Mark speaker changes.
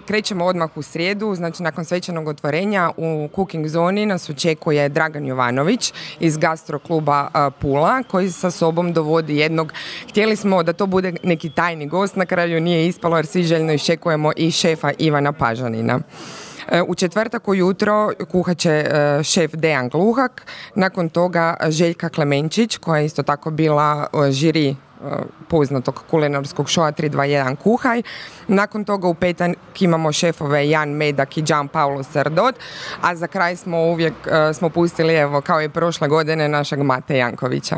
Speaker 1: krećemo odmah u srijedu, znači nakon svečanog otvorenja u cooking zoni nas očekuje Dragan Jovanović iz Gastro kluba Pula, koji sa sobom dovodi jednog, htjeli smo da to bude neki tajni gost, na kraju nije ispalo jer svi željno iščekujemo i šefa Ivana Pažanina. U četvrtak ujutro kuhat će šef Dejan Gluhak, nakon toga Željka Klemenčić koja je isto tako bila žiri poznatog kulinarskog šoa 321 Kuhaj. Nakon toga u petak imamo šefove Jan Medak i Gian Paolo Sardot, a za kraj smo uvijek pustili, evo kao i prošle godine, našeg Mate Jankovića.